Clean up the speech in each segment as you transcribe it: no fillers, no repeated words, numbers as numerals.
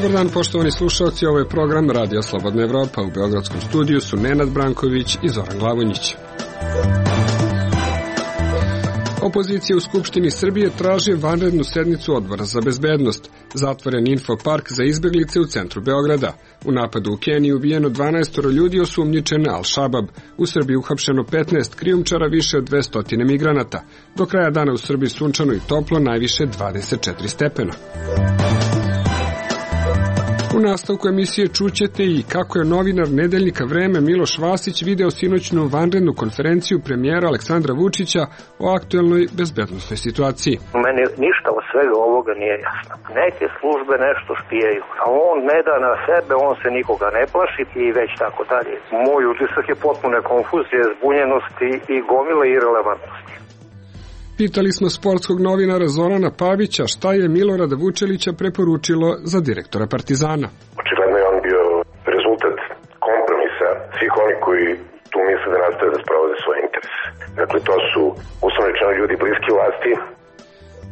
Dobar dan, poštovani slušalci, ovo je program Radio Slobodna Evropa. U beogradskom studiju su Nenad Branković i Zoran Glavonjić. Opozicija u Skupštini Srbije traži vanrednu sednicu Odbora za bezbednost. Zatvoren infopark za izbeglice u centru Beograda. U napadu u Keniji ubijeno 12 ljudi osumnjičen Al-Šabab. U Srbiji uhapšeno 15 krijumčara, više od 200 migranata. Do kraja dana u Srbiji sunčano i toplo, najviše 24 stepena. U nastavku emisije čućete i kako je novinar nedeljnika Vreme Miloš Vasić video sinoćnu vanrednu konferenciju premijera Aleksandra Vučića o aktuelnoj bezbednosnoj situaciji. Meni ništa od svega ovoga nije jasno. Neke službe nešto špijaju, a on ne da na sebe, on se nikoga ne plaši i već tako dalje. Moj utisak je potpune konfuzije, zbunjenosti i gomile irelevantnosti. Pitali smo sportskog novinara Zorana Pavića šta je Milorada Vučelića preporučilo za direktora Partizana. Očigledno je on bio rezultat kompromisa svih onih koji tu misle da nastave da sprovode svoje interese. Dakle, to su uslovno rečeno ljudi bliski vlasti.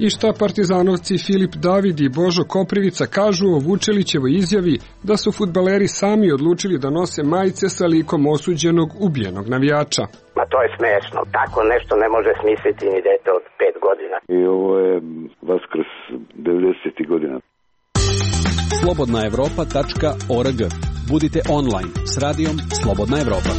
I šta partizanovci Filip David i Božo Koprivica kažu o Vučelićevoj izjavi da su fudbaleri sami odlučili da nose majice sa likom osuđenog ubijenog navijača. Ma to je smešno. Tako nešto ne može smisliti ni dete od 5 godina. I ovo je Vaskrs 90. godina. slobodnaevropa.org. Budite online s radijom Slobodna Evropa.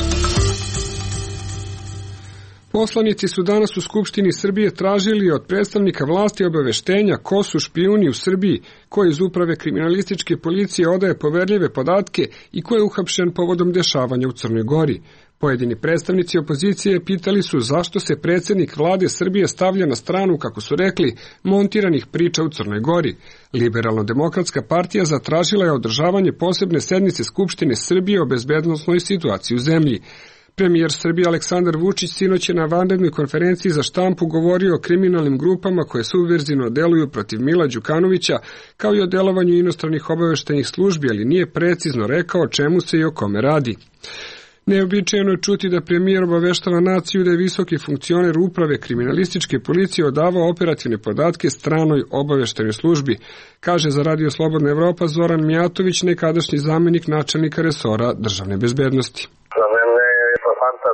Poslanici su danas u Skupštini Srbije tražili od predstavnika vlasti obaveštenja ko su špijuni u Srbiji, ko iz uprave kriminalističke policije odaje poverljive podatke i ko je uhapšen povodom dešavanja u Crnoj Gori. Pojedini predstavnici opozicije pitali su zašto se predsjednik vlade Srbije stavlja na stranu, kako su rekli, montiranih priča u Crnoj Gori. Liberalno-demokratska partija zatražila je održavanje posebne sednice Skupštine Srbije o bezbednosnoj situaciji u zemlji. Premijer Srbije Aleksandar Vučić sinoć je na vanrednoj konferenciji za štampu govorio o kriminalnim grupama koje subverzivno deluju protiv Mila Đukanovića, kao i o delovanju inostranih obaveštajnih službi, ali nije precizno rekao o čemu se i o kome radi. Neobičajeno je čuti da premijer obaveštava naciju da je visoki funkcioner uprave kriminalističke policije odavao operativne podatke stranoj obaveštajnoj službi, kaže za Radio Slobodna Evropa Zoran Mijatović, nekadašnji zamenik načelnika resora državne bezbednosti.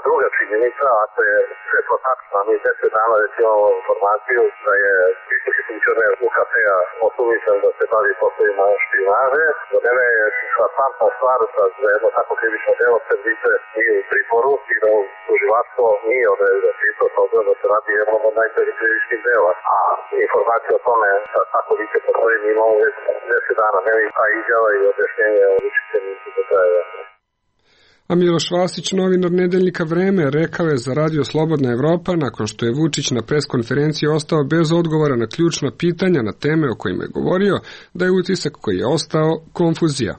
Druga činjenica, ako je sve to tačno, mi 10 dana već imamo informaciju da je visoki funkcioner UKP-a osumnjičen da se bavi poslovima špijunaže. Za mene je šokantna stvar da jedno tako krivično delo Srbice nije u pritvoru i da tužilaštvo nije odredio čisto toga da se radi jednom od najtežih krivičnih dela. A informacija o tome da tako vice postoji mi imamo već 10 dana. Meni ta izjava i objašnjenje Vučića nisu do kraja. A Miloš Vasić, novinar nedeljnika Vreme, rekao je za Radio Slobodna Evropa, nakon što je Vučić na preskonferenciji ostao bez odgovora na ključna pitanja na teme o kojima je govorio, da je utisak koji je ostao konfuzija.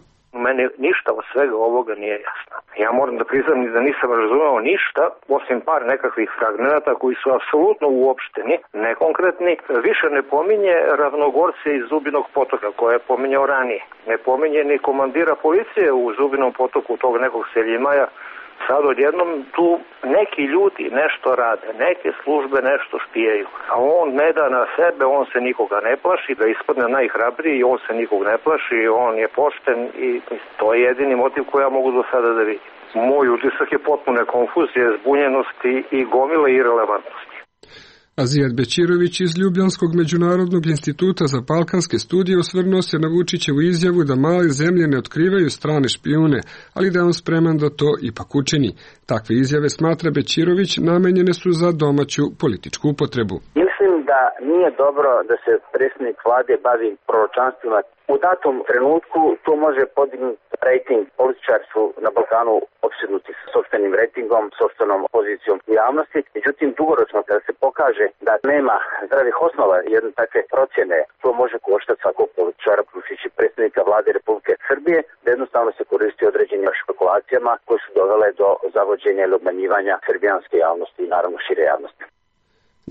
Meni ništa od svega ovoga nije jasno. Ja moram da priznam da nisam razumeo ništa, osim par nekakvih fragmenata koji su apsolutno uopšteni, nekonkretni. Više ne pominje Ravnogorce iz Zubinog potoka, koje je pominjao ranije. Ne pominje ni komandira policije u Zubinom potoku, tog nekog Seljimaja. Sad odjednom tu neki ljudi nešto rade, neke službe nešto špijaju, a on ne da na sebe, on se nikoga ne plaši, da ispadne najhrabriji, on se nikog ne plaši, on je pošten i to je jedini motiv koji ja mogu do sada da vidim. Moj utisak je potpune konfuzije, zbunjenosti i gomile irelevantnosti. Azijat Bećirović iz Ljubljanskog međunarodnog instituta za balkanske studije osvrnuo se na Vučićevu izjavu da male zemlje ne otkrivaju strane špijune, ali da je on spreman da to ipak učini. Takve izjave, smatra Bećirović, namenjene su za domaću političku upotrebu. Mislim da nije dobro da se predsjednik vlade bavi proročanstvima. U datom trenutku to može podignuti rejting. Političari su na Balkanu opsednuti sa sopstvenim rejtingom, sopstvenom pozicijom u javnosti. Međutim, dugoročno kada se pokaže da nema zdravih osnova jedne takve procjene, to može koštati svakog političara, uključujući predsjednika vlade Republike Srbije, da jednostavno se koristi određenim špekulacijama koje su dovele do zavođenja ili obmanjivanja srbijanske javnosti i naravno šire javnosti.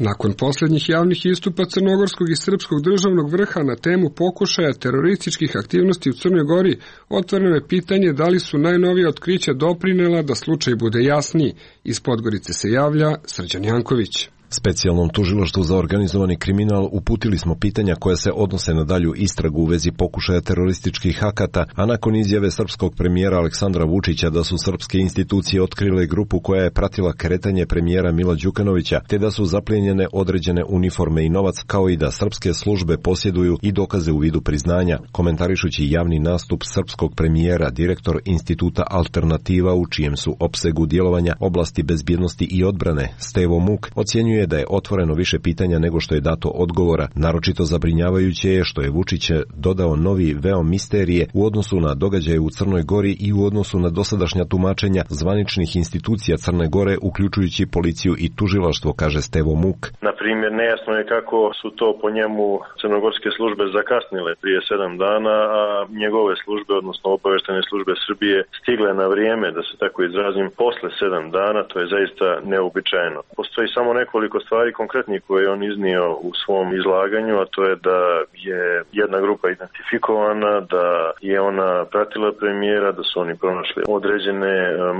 Nakon posljednjih javnih istupa crnogorskog i srpskog državnog vrha na temu pokušaja terorističkih aktivnosti u Crnoj Gori, otvoreno je pitanje da li su najnovija otkrića doprinela da slučaj bude jasniji. Iz Podgorice se javlja Srđan Janković. Specijalnom tužilaštvu za organizovani kriminal uputili smo pitanja koja se odnose na dalju istragu u vezi pokušaja terorističkih akata, a nakon izjave srpskog premijera Aleksandra Vučića da su srpske institucije otkrile grupu koja je pratila kretanje premijera Mila Đukanovića, te da su zaplijenjene određene uniforme i novac, kao i da srpske službe posjeduju i dokaze u vidu priznanja. Komentarišući javni nastup srpskog premijera, direktor Instituta Alternativa, u čijem su opsegu djelovanja oblasti bezbjednosti i odbrane, Stevo Muk, ocjenjuje da je otvoreno više pitanja nego što je dato odgovora. Naročito zabrinjavajuće je što je Vučić dodao novi veo misterije u odnosu na događaje u Crnoj Gori i u odnosu na dosadašnja tumačenja zvaničnih institucija Crne Gore, uključujući policiju i tužilaštvo, kaže Stevo Muk. Na primjer, nejasno je kako su to po njemu crnogorske službe zakasnile prije 7 dana, a njegove službe, odnosno obaveštene službe Srbije, stigle na vrijeme, da se tako izrazim, posle 7 dana. To je zaista neobičajno. Postoji samo nekoliko stvari konkretnih koje je on iznio u svom izlaganju, a to je da je jedna grupa identifikovana, da je ona pratila premijera, da su oni pronašli određene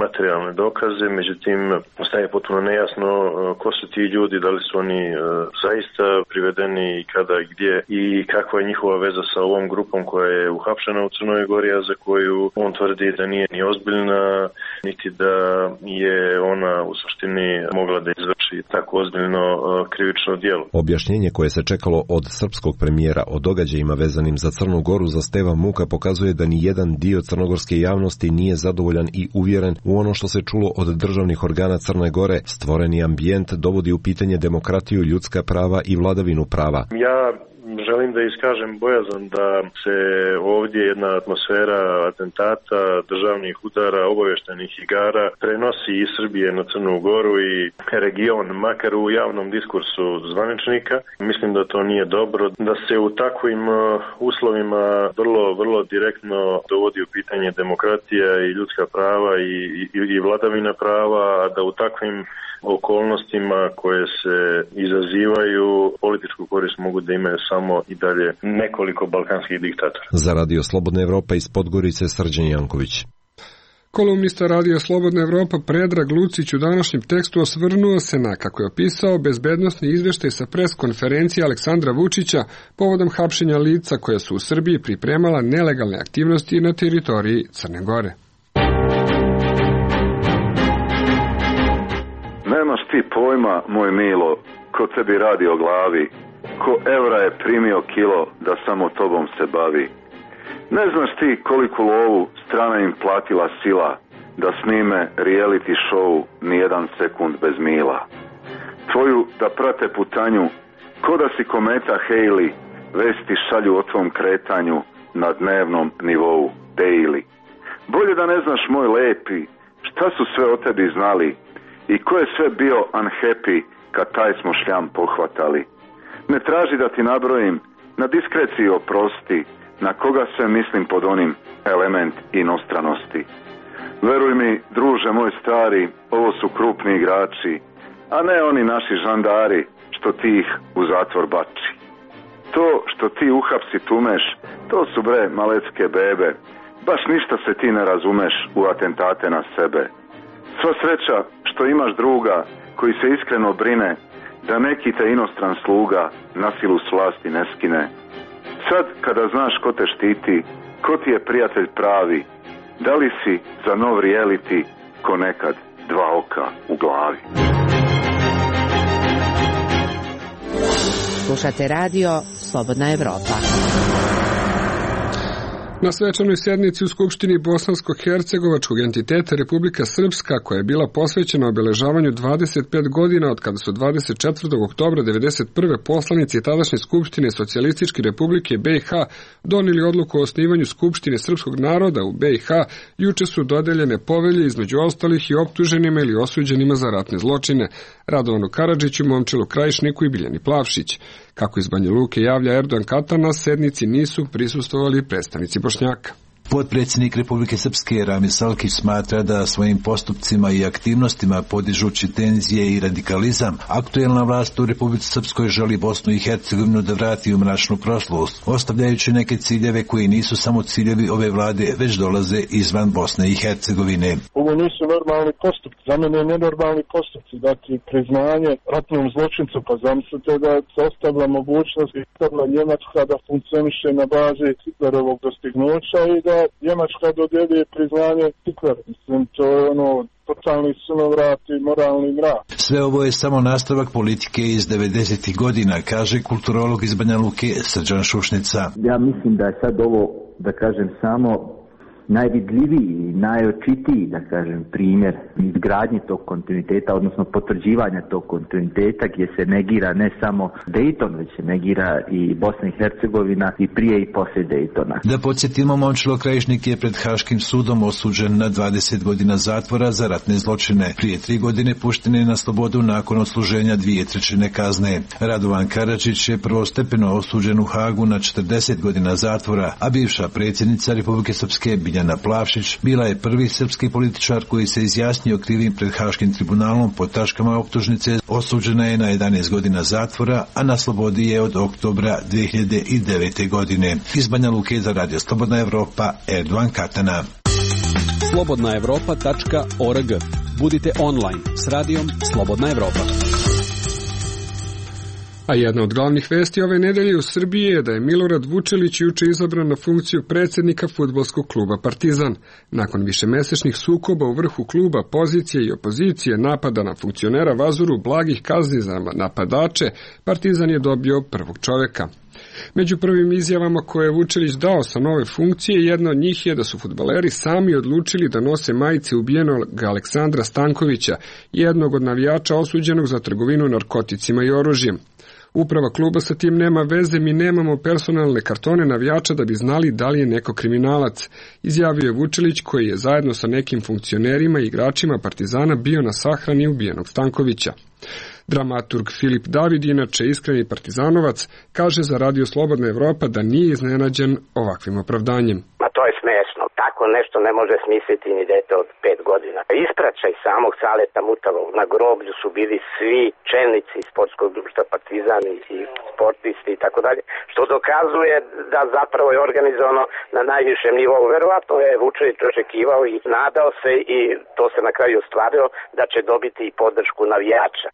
materijalne dokaze, međutim ostaje potpuno nejasno ko su ti ljudi, da li su oni zaista privedeni i kada i gdje i kakva je njihova veza sa ovom grupom koja je uhapšena u Crnoj Gori, a za koju on tvrdi da nije ni ozbiljna, niti da je ona u suštini mogla da izvrši tako ozbiljno krivično djelo. Objašnjenje koje se čekalo od srpskog premijera o događajima vezanim za Crnu Goru za Steva Muka pokazuje da ni jedan dio crnogorske javnosti nije zadovoljan i uvjeren u ono što se čulo od državnih organa Crne Gore. Stvoreni ambijent dovodi u pitanje demokratiju, ljudska prava i vladavinu prava. Ja želim da iskažem bojazan da se ovdje jedna atmosfera atentata, državnih udara, obavještajnih igara prenosi iz Srbije na Crnu Goru i region, makar u javnom diskursu zvaničnika. Mislim da to nije dobro, da se u takvim uslovima vrlo direktno dovodi u pitanje demokratija i ljudska prava i vladavina prava, a da u takvim okolnostima koje se izazivaju političku korist mogu da imaju samo i dalje nekoliko balkanskih diktatora. Za Radio Slobodna Evropa iz Podgorice, Srđan Janković. Kolumnista Radio Slobodna Evropa Predrag Lucić u današnjem tekstu osvrnuo se na, kako je opisao, bezbednosni izveštaj sa pres konferencije Aleksandra Vučića povodom hapšenja lica koja su u Srbiji pripremala nelegalne aktivnosti na teritoriji Crne Gore. Nemaš ti pojma, moj milo, ko tebi radi o glavi, ko evra je primio kilo da samo tobom se bavi. Ne znaš ti koliku lovu strana im platila sila da snime reality show nijedan sekund bez mila. Tvoju da prate putanju, ko da si kometa Halley, vesti šalju o tvom kretanju na dnevnom nivou, daily. Bolje da ne znaš, moj lepi, šta su sve o tebi znali i ko je sve bio unhappy kad taj smo šljam pohvatali. Ne traži da ti nabrojim, na diskreciji oprosti, na koga sve mislim pod onim element inostranosti. Veruj mi, druže moj stari, ovo su krupni igrači, a ne oni naši žandari što ti ih u zatvor bači. To što ti uhapsi tumeš, to su bre malecke bebe, baš ništa se ti ne razumeš u atentate na sebe. Sva sreća što imaš druga koji se iskreno brine da neki te inostran sluga na silu s vlasti ne skine. Sad kada znaš ko te štiti, ko ti je prijatelj pravi, da li si za nov reality ko nekad dva oka u glavi? Slušate radio Slobodna Evropa. Na svečanoj sjednici u Skupštini Bosansko-Hercegovačkog entiteta Republika Srpska, koja je bila posvećena obeležavanju 25 godina od kada su 24. oktobra 1991. poslanici tadašnje Skupštine Socijalističke Republike BiH donijeli odluku o osnivanju Skupštine srpskog naroda u BiH, juče su dodeljene povelje između ostalih i optuženima ili osuđenima za ratne zločine, Radovanu Karadžiću, Momčilu Krajišniku i Biljani Plavšić. Kako iz Banja Luke javlja Erdogan Katar, na sednici nisu prisustvovali predstavnici Bošnjaka. Potpredsjednik Republike Srpske Rami Salkić smatra da svojim postupcima i aktivnostima podižući tenzije i radikalizam, aktuelna vlast u Republici Srpskoj želi Bosnu i Hercegovinu da vrati u mračnu prošlost, ostavljajući neke ciljeve koji nisu samo ciljevi ove vlade, već dolaze izvan Bosne i Hercegovine. Ovo nisu normalni postupci, za mene je nenormalni postupci, dakle priznanje ratnom zločincu, pa zamislite da se ostavlja mogućnost Hitlerna Njemačka da funkcioniše na bazi Hitlerovog dostignuća i da Njemačka dodjeljuje priznanje Hitleru. Mislim, to je totalni sunovrat i moralni mrak. Sve ovo je samo nastavak politike iz 90. godina, kaže kulturolog iz Banja Luke Srđan Šušnica. Ja mislim da je sad ovo, da kažem, samo najvidljiviji i najočitiji, da kažem, primjer izgradnje tog kontinuiteta, odnosno potvrđivanja tog kontinuiteta gdje se negira ne samo Dayton, već se negira i Bosna i Hercegovina i prije i poslije Daytona. Da podsjetimo, Momčilo Krajišnik je pred Haškim sudom osuđen na 20 godina zatvora za ratne zločine. Prije 3 godine pušten je na slobodu nakon odsluženja 2/3 kazne. Radovan Karadžić je prvostepeno osuđen u Hagu na 40 godina zatvora, a bivša predsjednica Republike Srpske Biljana Plavšić bila je prvi srpski političar koji se izjasnio krivim pred Haškim tribunalom po tačkama optužnice. Osuđena je na 11 godina zatvora, a na slobodi je od oktobra 2009. godine. Iz Banja Luke za Radio Slobodna Evropa, Erdovan Katana. slobodnaevropa.org. Budite online s radijom Slobodna Evropa. A jedna od glavnih vesti ove nedelje u Srbiji je da je Milorad Vučelić juče izabran na funkciju predsjednika fudbalskog kluba Partizan. Nakon višemesečnih sukoba u vrhu kluba, pozicije i opozicije, napada na funkcionera Vazuru, blagih kazni za napadače, Partizan je dobio prvog čoveka. Među prvim izjavama koje je Vučelić dao sa nove funkcije, jedna od njih je da su fudbaleri sami odlučili da nose majice ubijenog Aleksandra Stankovića, jednog od navijača osuđenog za trgovinu narkoticima i oružjem. Uprava kluba sa tim nema veze, mi nemamo personalne kartone navijača da bi znali da li je neko kriminalac, izjavio je Vučelić, koji je zajedno sa nekim funkcionerima i igračima Partizana bio na sahrani ubijenog Stankovića. Dramaturg Filip David, inače iskreni partizanovac, kaže za Radio Slobodna Evropa da nije iznenađen ovakvim opravdanjem. Ma to je smešno. Tako nešto ne može smisliti ni dete od 5 godina. Ispraćaj samog Saleta Mutavog. Na groblju su bili svi čelnici sportskog društva Partizan i sportisti i tako dalje, što dokazuje da zapravo je organizovano na najvišem nivou. Verovatno je Vučelić očekivao i nadao se, i to se na kraju ostvarilo, da će dobiti i podršku navijača.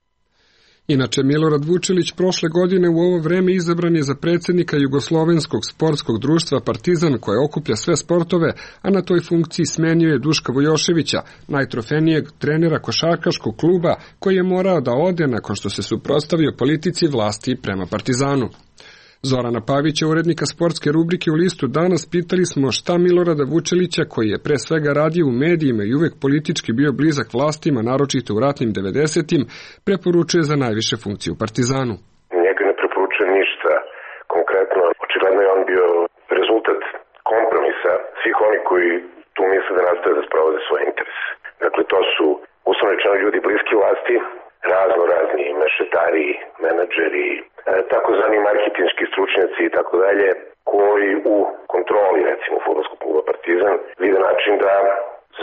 Inače, Milorad Vučelić prošle godine u ovo vreme izabran je za predsjednika Jugoslovenskog sportskog društva Partizan, koje okuplja sve sportove, a na toj funkciji smenio je Duška Vujoševića, najtrofejnijeg trenera košarkaškog kluba, koji je morao da ode nakon što se suprotstavio politici vlasti prema Partizanu. Zorana Pavića, urednika sportske rubrike u Listu Danas, pitali smo šta Milorada Vučelića, koji je pre svega radio u medijima i uvek politički bio blizak vlastima, naročito u ratnim 90-im, preporučuje za najviše funkcije u Partizanu. Njega ne preporučujem ništa konkretno. Očigledno je on bio rezultat kompromisa svih oni koji tu misle da nastave da sprovode svoje interese. Dakle, to su uslovno rečeno ljudi bliski vlasti, razni mešetari, menadžeri, takozvani marketinški stručnjaci i tako dalje, koji u kontroli, recimo, fudbalskog kluba Partizan vide način da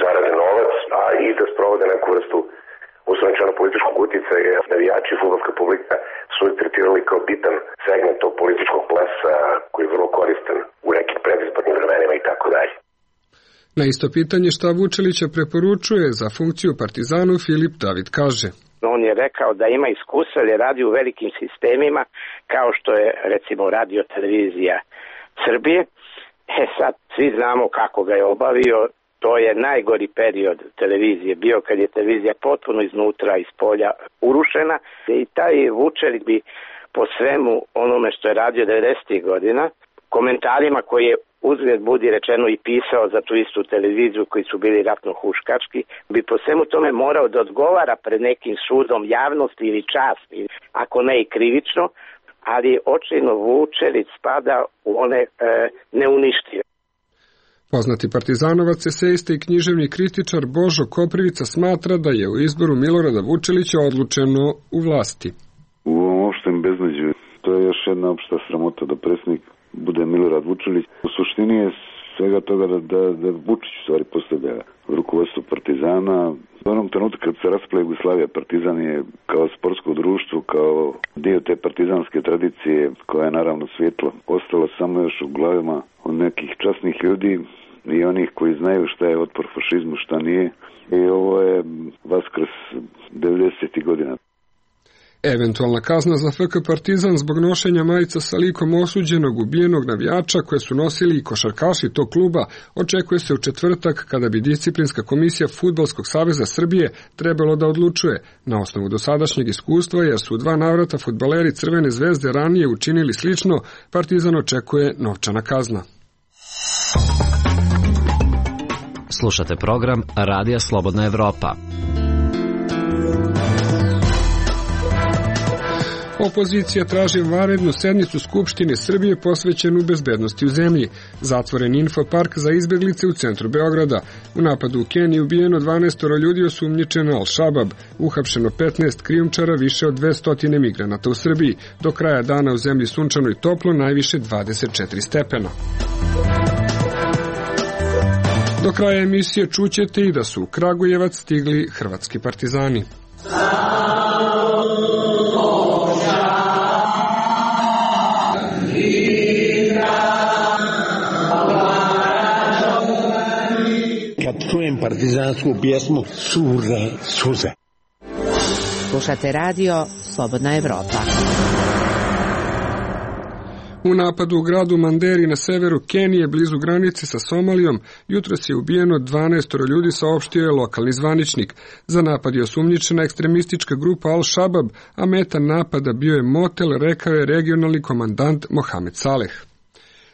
zarade novac, a i da sprovode neku vrstu uslovno političkog uticaja. Navijači i fudbalska publika su ih tretirali kao bitan segment tog političkog plesa koji je vrlo koristan u nekim predizbornim vremenima i tako dalje. Na isto pitanje šta Vučelića preporučuje za funkciju Partizanu, Filip David kaže: On je rekao da ima iskustva, jer je radio u velikim sistemima, kao što je, recimo, radio televizija Srbije. Sad svi znamo kako ga je obavio. To je najgori period televizije bio, kad je televizija potpuno iznutra, iz polja urušena. I taj Vučelić bi po svemu onome što je radio 90. godina, komentarima koje je uzgled budi rečeno i pisao za tu istu televiziju, koji su bili ratno-huškački, bi po svemu tome morao da odgovara pred nekim sudom javnosti ili časti, ako ne i krivično, ali očajno Vučelić spada u one neuništive. Poznati partizanovac, esejista i književni kritičar Božo Koprivica smatra da je u izboru Milorada Vučelića odlučeno u vlasti. U ovom opštem beznađu to je još jedna opšta sramota da predsjednik bude Milorad Vučelić. U suštini je svega toga da Vučić u stvari postavlja rukovodstvo Partizana. U onom trenutku kad se raspala Jugoslavija, Partizan je kao sportsko društvo, kao dio te partizanske tradicije, koja je naravno svjetlo, ostala samo još u glavama od nekih časnih ljudi i onih koji znaju šta je otpor fašizmu, šta nije. I ovo je Vaskrs 90. godina. Eventualna kazna za FK Partizan zbog nošenja majica sa likom osuđenog ubijenog navijača koje su nosili i košarkaši tog kluba očekuje se u četvrtak kada bi disciplinska komisija Fudbalskog saveza Srbije trebalo da odlučuje na osnovu dosadašnjeg iskustva, jer su u 2 navrata fudbaleri Crvene zvezde ranije učinili slično. Partizan očekuje novčana kazna. Slušate program Radija Slobodna Evropa. Opozicija traži vanrednu sednicu Skupštine Srbije posvećenu bezbednosti u zemlji. Zatvoren infopark za izbeglice u centru Beograda. U napadu u Keniji ubijeno 12 ljudi, osumnjičeno Al-Shabab. Uhapšeno 15 krijumčara, više od 200 migranata u Srbiji. Do kraja dana u zemlji sunčano i toplo, najviše 24 stepena. Do kraja emisije čućete i da su u Kragujevac stigli hrvatski partizani. Kad čujem partizansku pjesmu, cure suze. Slušate radio Slobodna Evropa. U napadu u gradu Manderi na severu Kenije, blizu granice sa Somalijom, jutros je ubijeno 12 ljudi, saopštio je lokalni zvaničnik. Za napad je osumnjičena ekstremistička grupa Al-Shabab, a meta napada bio je motel, rekao je regionalni komandant Mohamed Saleh.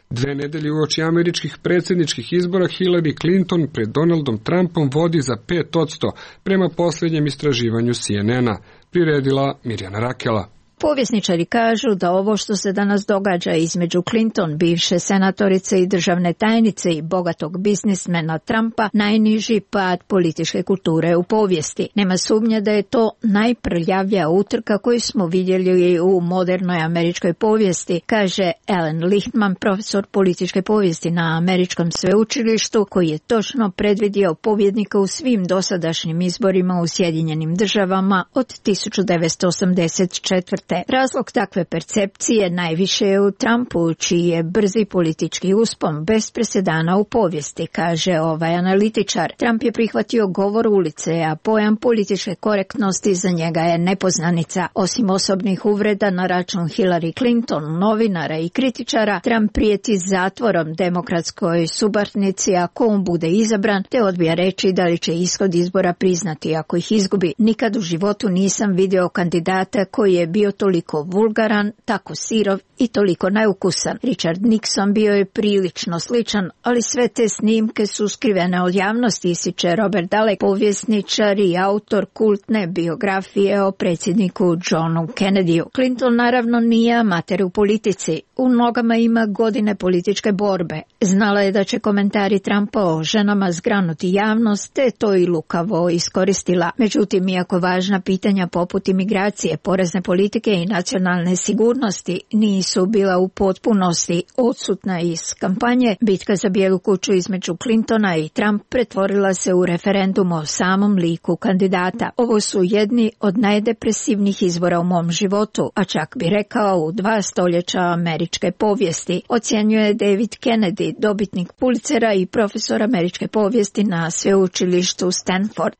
2 nedelje uoči američkih predsjedničkih izbora Hillary Clinton pred Donaldom Trumpom vodi za 5% prema posljednjem istraživanju CNN-a, priredila Mirjana Rakela. Povjesničari kažu da ovo što se danas događa između Clinton, bivše senatorice i državne tajnice, i bogatog biznismena Trumpa, najniži pad političke kulture u povijesti. Nema sumnje da je to najprljavija utrka koju smo vidjeli u modernoj američkoj povijesti, kaže Alan Lichtman, profesor političke povijesti na američkom sveučilištu, koji je točno predvidio pobjednika u svim dosadašnjim izborima u Sjedinjenim državama od 1984. Razlog takve percepcije najviše je u Trumpu, čiji je brzi politički uspon bez presedana u povijesti, kaže ovaj analitičar. Trump je prihvatio govor ulice, a pojam političke korektnosti za njega je nepoznanica. Osim osobnih uvreda na račun Hillary Clinton, novinara i kritičara, Trump prijeti zatvorom demokratskoj suparnici ako on bude izabran, te odbija reći da li će ishod izbora priznati ako ih izgubi. Nikad u životu nisam video kandidata koji je bio toliko vulgaran, tako sirov i toliko neukusan. Richard Nixon bio je prilično sličan, ali sve te snimke su skrivene od javnosti, ističe Robert Dalek, povjesničar i autor kultne biografije o predsjedniku Johnu Kennedyu. Clinton naravno nije amater u politici. U nogama ima godine političke borbe. Znala je da će komentari Trumpa o ženama zgranuti javnost, te to i lukavo iskoristila. Međutim, iako važna pitanja poput imigracije, porezne politike i nacionalne sigurnosti nisu bila u potpunosti odsutna iz kampanje, bitka za Bijelu kuću između Clintona i Trump pretvorila se u referendum o samom liku kandidata. Ovo su jedni od najdepresivnijih izbora u mom životu, a čak bi rekao u 2 stoljeća američke povijesti, ocjenjuje David Kennedy, dobitnik Pulitzera i profesor američke povijesti na sveučilištu Stanford.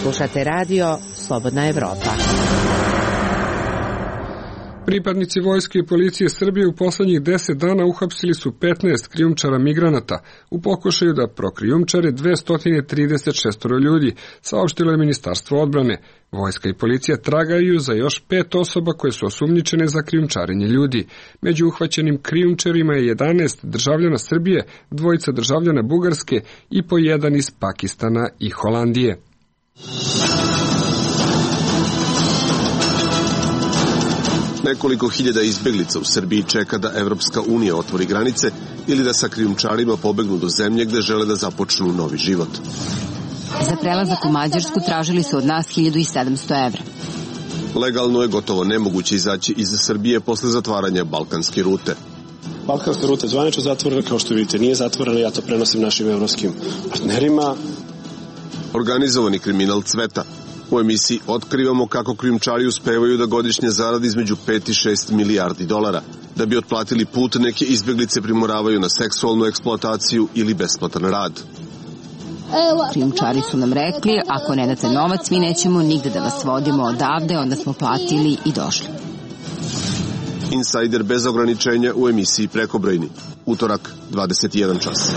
Slušate radio Slobodna Evropa. Pripadnici vojske i policije Srbije u poslednjih 10 dana uhapsili su 15 krijumčara migranata u pokušaju da prokrijumčare 236 ljudi, saopštilo je Ministarstvo odbrane. Vojska i policija tragaju za još 5 osoba koje su osumnjičene za krijumčarenje ljudi. Među uhvaćenim krijumčarima je 11 državljana Srbije, 2 državljana Bugarske i po 1 iz Pakistana i Holandije. Nekoliko hiljada izbeglica u Srbiji čeka da Evropska unija otvori granice ili da sa krijumčarima pobegnu do zemlje gde žele da započnu novi život. Za prelazak u Mađarsku tražili su od nas 1700 evra. Legalno je gotovo nemoguće izaći iz Srbije posle zatvaranja balkanske rute. Balkanska ruta je zvanično zatvorena, kao što vidite nije zatvorena, ja to prenosim našim evropskim partnerima. Organizovani kriminal cveta. U emisiji otkrivamo kako krijumčari uspevaju da godišnje zaradi između 5 i 6 milijardi dolara. Da bi otplatili put, neke izbeglice primoravaju na seksualnu eksploataciju ili besplatan rad. Krijumčari su nam rekli, ako ne date novac, mi nećemo nigde da vas vodimo odavde, onda smo platili i došli. Insajder bez ograničenja u emisiji Prekobrojni. Utorak, 21 čas.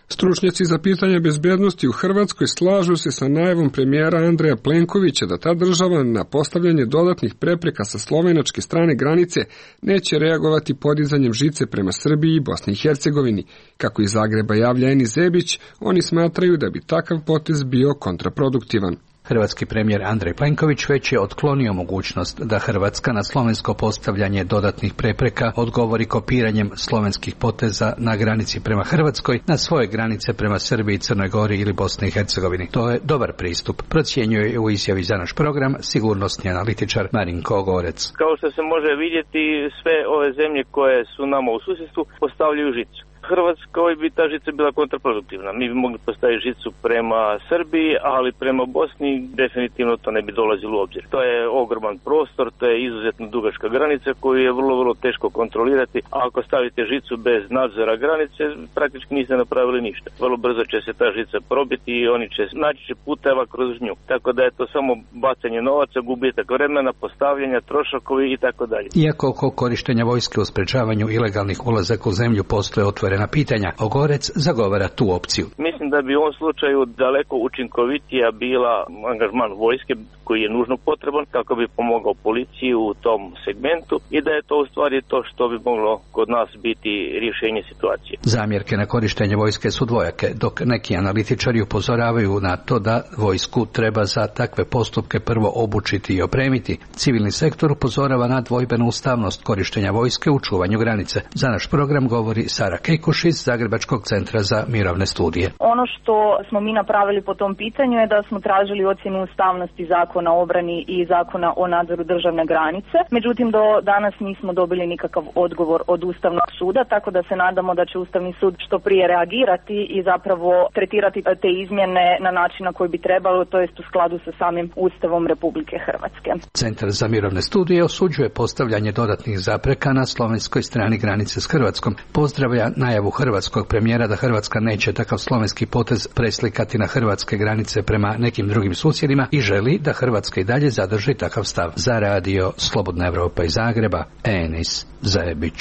Stručnjaci za pitanje bezbednosti u Hrvatskoj slažu se sa najavom premijera Andreja Plenkovića da ta država na postavljanje dodatnih prepreka sa slovenačke strane granice neće reagovati podizanjem žice prema Srbiji i Bosni i Hercegovini. Kako iz Zagreba javlja Enis Zebić, oni smatraju da bi takav potez bio kontraproduktivan. Hrvatski premijer Andrej Plenković već je otklonio mogućnost da Hrvatska na slovensko postavljanje dodatnih prepreka odgovori kopiranjem slovenskih poteza na granici prema Hrvatskoj na svoje granice prema Srbiji, Crnoj Gori ili Bosni i Hercegovini. To je dobar pristup, procjenjuje u izjavi za naš program sigurnosni analitičar Marinko Gorec. Kao što se može vidjeti, sve ove zemlje koje su nama u susjedstvu postavljaju žicu. Hrvatskoj bi ta žica bila kontraproduktivna. Mi bi mogli postaviti žicu prema Srbiji, ali prema Bosni definitivno to ne bi dolazilo u obzir. To je ogroman prostor, to je izuzetno dugačka granica koju je vrlo teško kontrolirati. A ako stavite žicu bez nadzora granice, praktički niste napravili ništa. Vrlo brzo će se ta žica probiti i oni će naći puteva kroz nju. Tako da je to samo bacanje novaca, gubitak vremena, postavljanja, troškovi i tako dalje. Iako oko korištenja vojske u sprečavanju ilegalnih ulazaka u zemlju postoje otvorena pitanja, Ogorec zagovara tu opciju. Mislim da bi u ovom slučaju daleko učinkovitija bila angažman vojske koji je nužno potreban kako bi pomogao policiji u tom segmentu i da je to u stvari to što bi moglo kod nas biti rješenje situacije. Zamjerke na korištenje vojske su dvojake, dok neki analitičari upozoravaju na to da vojsku treba za takve postupke prvo obučiti i opremiti. Civilni sektor upozorava na dvojbenu ustavnost korištenja vojske u čuvanju granice. Za naš program govori Sara Kejkuš iz Zagrebačkog centra za mirovne studije. Ono što smo mi napravili po tom pitanju je da smo tražili ocjenu ustavnosti Zakona o obrani i Zakona o nadzoru državne granice. Međutim, do danas nismo dobili nikakav odgovor od Ustavnog suda, tako da se nadamo da će Ustavni sud što prije reagirati i zapravo tretirati te izmjene na način na koji bi trebalo, to jest u skladu sa samim Ustavom Republike Hrvatske. Centar za mirovne studije osuđuje postavljanje dodatnih zapreka na slovenskoj strani granice s Hrvatskom. Pozdravlja najavu hrvatskog premijera da Hrvatska neće takav slovenski potez preslikati na hrvatske granice prema nekim drugim susjedima i želi da Hrvatska i dalje zadrži takav stav. Za radio Slobodna Evropa iz Zagreba, Enis Zebić.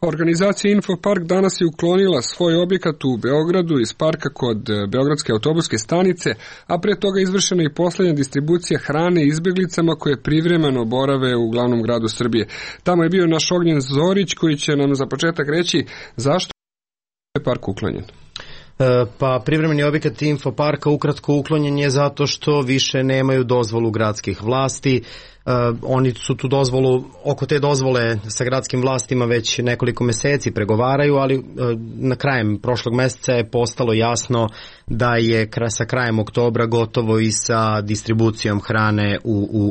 Organizacija Infopark danas je uklonila svoj objekat u Beogradu iz parka kod Beogradske autobuske stanice, a pre toga izvršena i posljednja distribucija hrane izbjeglicama koje privremeno borave u glavnom gradu Srbije. Tamo je bio naš Ognjen Zorić koji će nam za početak reći zašto je park uklonjen. Pa privremeni objekat Infoparka ukratko uklonjen je zato što više nemaju dozvolu gradskih vlasti. Oni su tu dozvolu, oko te dozvole sa gradskim vlastima već nekoliko mjeseci pregovaraju, ali na krajem prošlog mjeseca je postalo jasno da je sa krajem oktobra gotovo i sa distribucijom hrane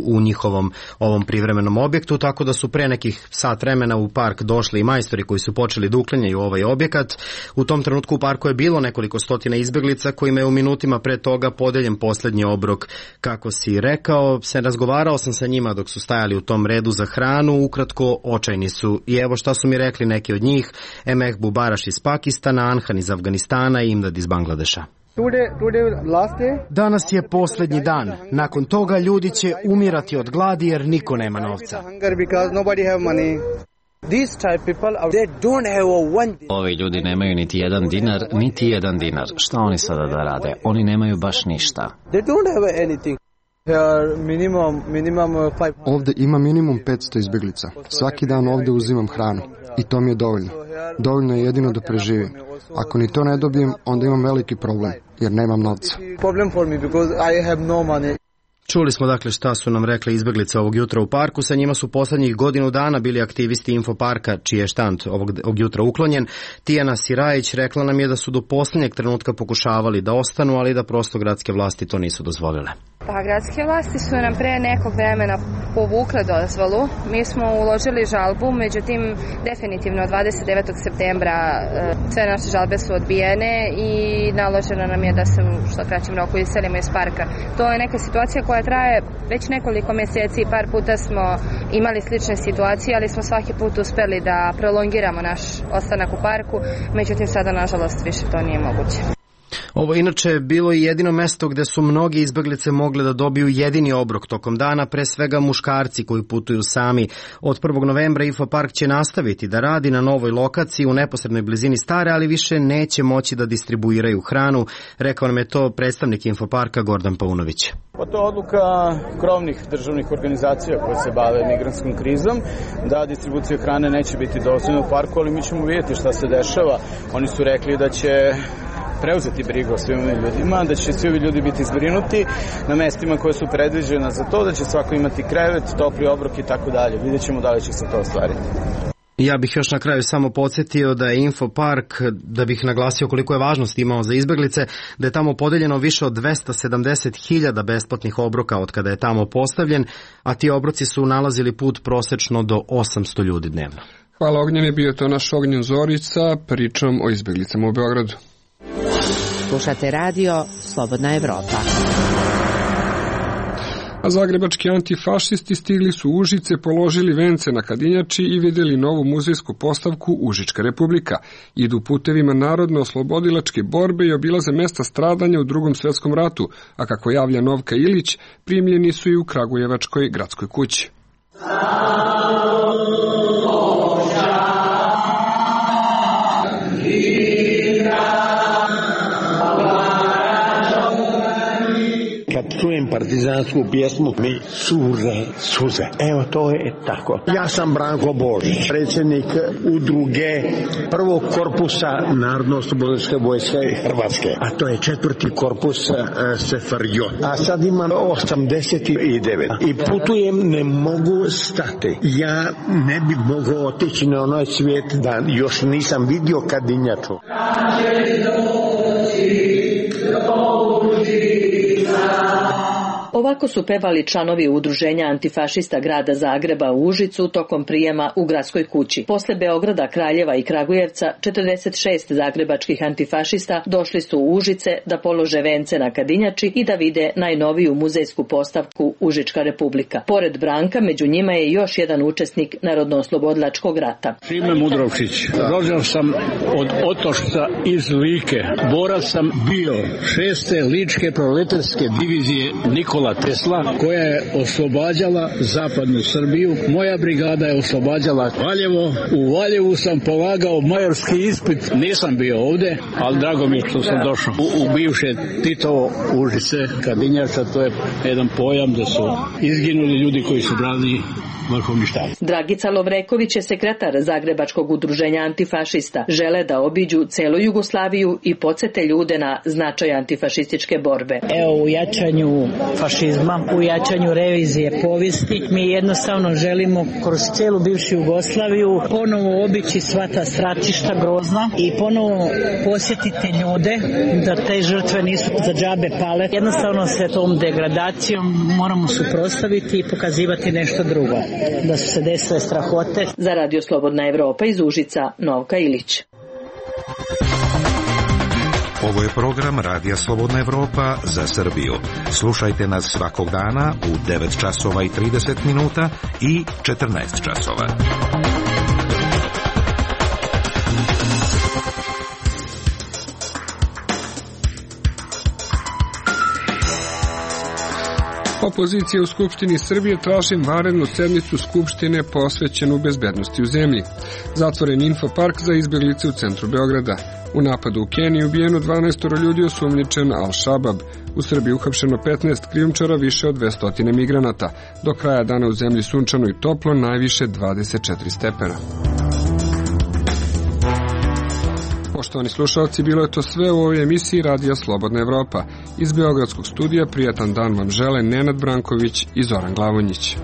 u njihovom ovom privremenom objektu, tako da su pre nekih sat vremena u park došli i majstori koji su počeli da uklanjaju ovaj objekat. U tom trenutku u parku je bilo nekoliko stotina izbjeglica kojima je u minutima pre toga podeljen posljednji obrok. Kako si rekao, razgovarao sam sa njima dok su stajali u tom redu za hranu, ukratko očajni su. I evo šta su mi rekli neki od njih: Emeh Bubaraš iz Pakistana, Anhan iz Afganistana i Imdad iz Bangladeša. Danas je posljednji dan. Nakon toga ljudi će umirati od gladi jer niko nema novca. Ovi ljudi nemaju niti jedan dinar. Šta oni sada da rade? Oni nemaju baš ništa. Ovdje ima minimum 500 izbjeglica. Svaki dan ovdje uzimam hranu. I to mi je dovoljno. Dovoljno je jedino da preživim. Ako ni to ne dobijem, onda imam veliki problem, jer nemam novca. Čuli smo dakle šta su nam rekli izbjeglice ovog jutra u parku. Sa njima su posljednjih godinu dana bili aktivisti Infoparka, čiji je štand ovog jutra uklonjen. Tijana Sirajić rekla nam je da su do posljednjeg trenutka pokušavali da ostanu, ali da prosto gradske vlasti to nisu dozvolile. Pa gradske vlasti su nam pre nekog vremena povukle dozvolu. Mi smo uložili žalbu, međutim definitivno 29. septembra sve naše žalbe su odbijene i naloženo nam je da se u što kraćem roku iselimo iz parka. To je neka situacija koja traje već nekoliko mjeseci, par puta smo imali slične situacije, ali smo svaki put uspeli da prolongiramo naš ostanak u parku, međutim sada nažalost više to nije moguće. Ovo inače je bilo i jedino mesto gde su mnogi izbeglice mogle da dobiju jedini obrok tokom dana, pre svega muškarci koji putuju sami. Od 1. novembra Infopark će nastaviti da radi na novoj lokaciji u neposrednoj blizini stare, ali više neće moći da distribuiraju hranu. Rekao nam je to predstavnik Infoparka Gordan Paunović. Pa to je odluka krovnih državnih organizacija koje se bave migrantskom krizom, da distribucija hrane neće biti dozvoljena u parku, ali mi ćemo vidjeti šta se dešava. Oni su rekli da će preuzeti brigu o svim ovim ljudima, da će svi ovi ljudi biti zbrinuti na mestima koje su predviđena za to, da će svako imati krevet, topli obrok i tako dalje. Vidjet ćemo da li će se to ostvariti. Ja bih još na kraju samo podsjetio da je Infopark, da bih naglasio koliko je važnost imao za izbeglice, da je tamo podeljeno više od 270.000 besplatnih obroka od kada je tamo postavljen, a ti obroci su nalazili put prosečno do 800 ljudi dnevno. Hvala Ognjene, bio to naš Ognjen Zorić sa pričom o izbeglicama u Beogradu. Slušate radio Slobodna Evropa. A zagrebački antifašisti stigli su u Užice, položili vence na Kadinjači i vidjeli novu muzejsku postavku Užička republika. Idu putevima narodno-oslobodilačke borbe i obilaze mesta stradanja u Drugom svjetskom ratu, a kako javlja Novka Ilić, primljeni su i u Kragujevačkoj gradskoj kući. Kad čujem partizansku pjesmu, mi cure suze. Evo, to je tako. Ja sam Branko Božić, predsjednik udruge prvog korpusa Narodno-oslobodilačke vojske Hrvatske, a to je 4. korpus SFRJ. A sad imam 89. I putujem, ne mogu stati. Ja ne bi mogao otići na onaj svijet da još nisam vidio Kadinjaču. Ovako su pevali članovi udruženja antifašista grada Zagreba u Užicu tokom prijema u gradskoj kući. Posle Beograda, Kraljeva i Kragujevca, 46 zagrebačkih antifašista došli su u Užice da polože vence na Kadinjači i da vide najnoviju muzejsku postavku Užička republika. Pored Branka, među njima je još jedan učesnik Narodno-oslobodilačkog rata. Šime Mudrovčić. Rođen sam od Otošca iz Like. Borac sam bio 6. ličke proletarske divizije Nikola Tesla, koja je oslobađala zapadnu Srbiju. Moja brigada je oslobađala Valjevo. U Valjevu sam polagao majorski ispit. Nisam bio ovde, ali drago mi je što sam došao u bivše Titovo Užice, Kadinjača. To je jedan pojam da su izginuli ljudi koji su branili vrhovni štab. Dragica Lovreković je sekretar Zagrebačkog udruženja antifašista. Žele da obiđu celu Jugoslaviju i podsete ljude na značaj antifašističke borbe. Evo, u jačanju fašizma, u jačanju revizije povijesti, mi jednostavno želimo kroz celu bivšu Jugoslaviju ponovo obići sva ta stratišta grozna i ponovo posjetiti ljude da te žrtve nisu za džabe pale. Jednostavno se tom degradacijom moramo suprotstaviti i pokazivati nešto drugo. Da su se desile strahote. Za Radio Slobodna Evropa iz Užica, Novka Ilić. Ovo je program Radija Slobodna Evropa za Srbiju. Slušajte nas svakog dana u 9 časova i 30 minuta i 14 časova. Opozicija u Skupštini Srbije traži vanrednu sednicu Skupštine posvećenu bezbednosti u zemlji. Zatvoren Infopark za izbjeglice u centru Beograda. U napadu u Keniji ubijeno 12 ljudi, osumnjičen Al-Shabab. U Srbiji uhapšeno 15 krijumčara, više od 200 migranata. Do kraja dana u zemlji sunčano i toplo, najviše 24 stepena. Poštovani slušalci, bilo je to sve u ovoj emisiji Radija Slobodna Evropa. Iz Beogradskog studija prijatan dan vam žele Nenad Branković i Zoran Glavonjić.